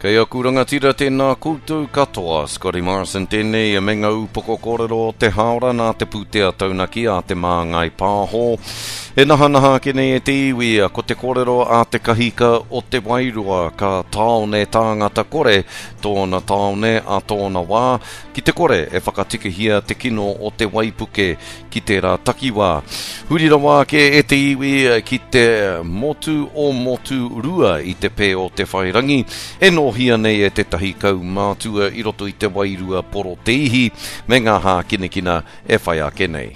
Kei aku rangatira tēnā koutou katoa, Scotty Morrison tēnei me ngā upoko kōrero o te hāora nā te pūtea taunaki a Te Māngai Pāho. E nahanaha ake nei e te iwi, ko te kōrero a te kahika o Te Wairoa ka tāone tāngata kore tōna tāone a tōna wā, ki te kore e whakatikahia te kino o te waipuke ki tērā takiwā. Huri rawa ake e te iwi ki te motu o Motu Rua i te pē o Te Whairangi, e nōhia nei e tētahi kaumātua i roto i te wairua poroteihi me ngā hākinakina e whai ake nei.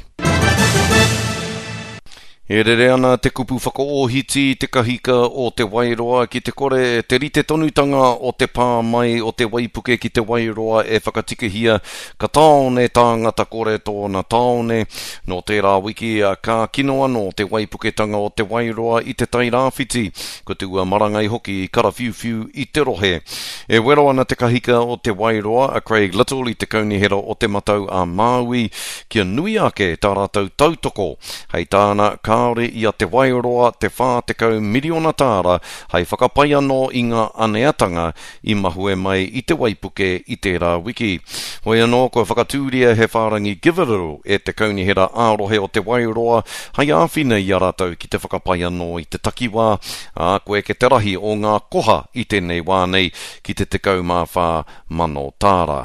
E rere ana te kupu whakaōhiti i te kahika o Te Wairoa ki te kore te rite tonutanga o te pā mai o te waipuke ki Te Wairoa e whakatikahia ka tāone tāngata kore tōna tāone. Nō tērā wiki ka kino anō te waipuketanga o Te Wairoa i Te Tairāwhiti, ko te ua marangai hoki i karawhiuwhiu i te rohe. E wero ana te kahika o Te Wairoa a Craig Little i te Kaunihera o Te Matau a Māui kia nui ake tā rātou tautoko. Hei tāna, kāore i a Te Wairoa te 40 miriona tāra hei whakapai anō i ngā aneatanga i mahue mai i te waipuke i tērā wiki. Hoi anō, kua whakatūria he whārangi Givealittle e te Kaunihera ā-Rohe o Te Wairoa hei āwhina i a rātou ki te whakapai anō i te takiwā, ā, kua eke te rahi o ngā koha i tēnei wā nei ki te 14,000 tāra.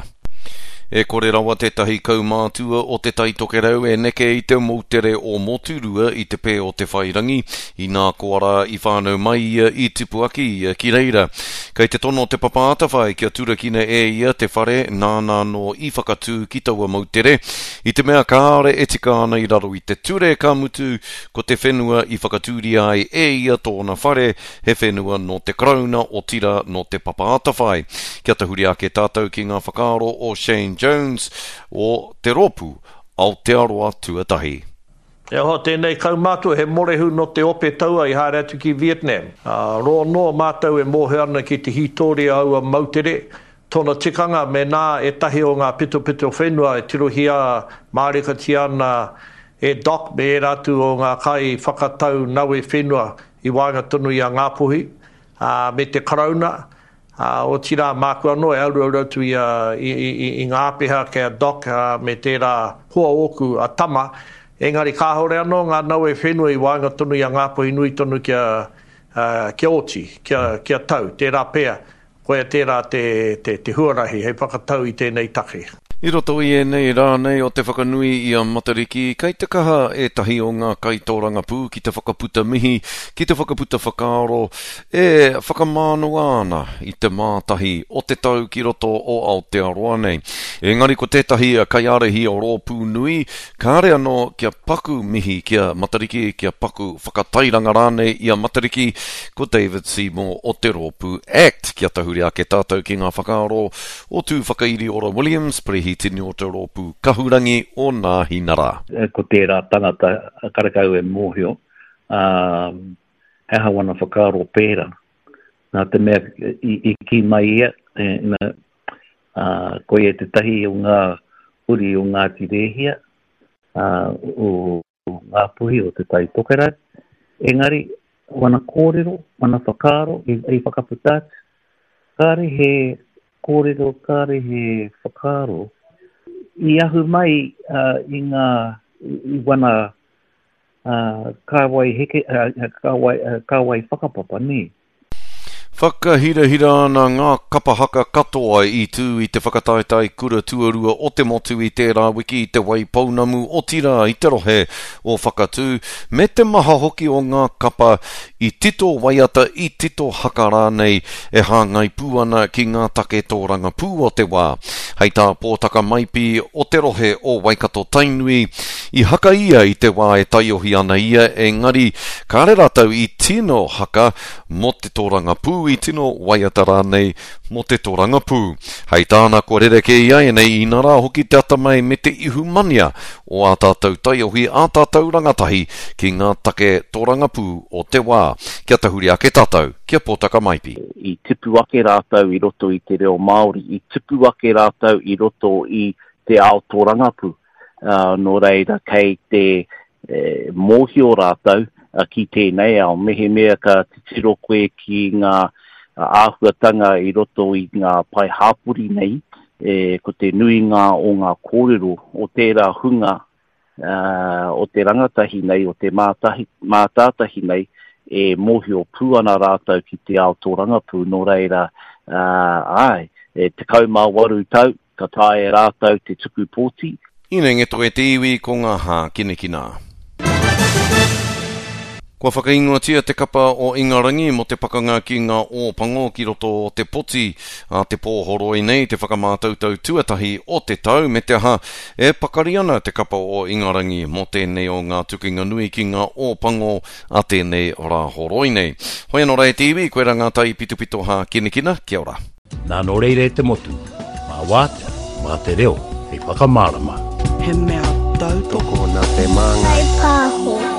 E kore rawa tētahi kaumātua o Te Tai Tokerau e neke i te moutere o Moturua i te pē o Te Whairangi, inā koa rā i whānau mai ia, i tipu ake ia ki reira. Kei te tono Te Papa Atawhai kia turakina e ia te whare nāna anō i whakatū ki taua moutere, i te mea kāore e tika ana i raro i te ture, ka mutu, ko te whenua i whakatūria ai e ia tōna whare, He whenua nō te Karauna, otirā nō Te Papa Atawhai. Kia tahuri ake tātou ki ngā whakaaro o Shane Jones o te rōpū Aotearoa Tuatahi. E hoa tēnei kaumātua he morehu nō te ope taua i haere atu ki Vietnam. Roa noa mātou e mōhio ana ki te hītōria aua moutere, tōna tikanga mēnā ētahi o ngā pitopito whenua e tirohia mārikatia ana e Doc me ērā atu o ngā kai whakatau nawe whenua i waenga tonu i a Ngāpuhi, ā, me te Karauna, ā, otirā, māku anō e aruaru atu i a, i, i, i, i ngā āpiha kei a Doc, ā, me tērā hoa ōku, a Tama, engari kāore anō ngā nawe whenua i waenga tonu i a Ngāpuhi nui tonu kia, ā, kia oti, kia, kia tau, tērā pea, Koia tērā te, te, te huarahi hei whakatau i tēnei take. I roto i ēnei rā nei o te whakanui i a Matariki, kei te kaha ētahi o ngā kaitōrangapū ki te whakaputa mihi, ki te whakaputa whakaaro e whakamānawa ana i te mātahi o te tau ki roto o Aotearoa nei. Engari ko tētahi kaiārahi o rōpū nui, Kāre anō kia paku mihi ki a Matariki, kia paku whakatairanga rānei i a Matariki, ko David Seymour o te rōpū act. Kia tahuri ake tātou ki ngā whakaaro o Tūwhakairiora Williams, Perehitini o te rōpū Kahurangi o Nāhinara. Ko tērā tangata karekau e mōhio, ā, he aha wana whakaaro pērā. Nā te mea i kī mai ia, ina, ā, koia tētahi o ngā uri o Ngāti Rēhia, ā, o Ngāpuhi o Te Tai Tokerau. Engari, wana kōrero, wana whakaaro i, i whakaputa atu, kāre he kōrero, kāre he whakaaro i ahu mai uh, i ngā, i wana uh, kāwai heke, uh, kāwai, uh, kāwai whakapapa, nē. Whakahirahira ana ngā kapa haka katoa i tū i te whakataetae kura tuarua o te motu i tērā wiki i Te Waipounamu, otirā i te rohe o Whakatū, me te maha hoki o ngā kapa i tito waiata, i tito haka rānei e hāngai pū ana ki ngā take tōrangapū o te wā. Hei tā Pōtaka Maipi o te rohe o Waikato-Tainui, i haka ia i te wā e taiohi ana ia, engari kāre rātou i tino haka mō te tōrangapū, i tino waiata rānei mō te tōrangapū. Hei tāna kua rerekē iaianei, inarā hoki te atamai me te ihumania o ā tātou taiohi, ā tātou rangatahi ki ngā take tōrangapū o te wā. Kia tahuri ake tātou ki a Pōtaka Maipi. I tipu ake rātou i roto i te reo Māori, i tipu ake rātou i roto i te ao tōrangapū. Nō reira, kei te mōhio rātou ki tēnei ao. Mehemea ka titiro koe ki ngā āhuatanga i roto i ngā pae hāpori nei, e, ko te nuinga o ngā kōrero o tērā hunga o te rangatahi nei, o te mātahi, mātātahi nei, e mōhio pū ana rātou ki te ao tōrangapū, nō reira, āe, e 18 tau, ka taea e rātou te tuku pōti. Inenge toe te iwi ko ngā hākinakina. Kua whakaingoatia te kapa o Ingarangi mō te pakanga ki ngā Ōpango ki roto o te poti a te pōhoroi nei te whakamātautau tuatahi o te tau me te aha e pakari ana te kapa o Ingarangi mō tēnei o ngā tukinga nui ki ngā Ōpango a tēnei Rāhoroi nei. Hoi anō rā e te iwi, koirā ngā taipitopito hākinakina, kia ora. Nā nō reira e te motu, mā wātea, mā te reo hei whakamārama. He mea tautoko. Tokona te māngai. Whai pāho.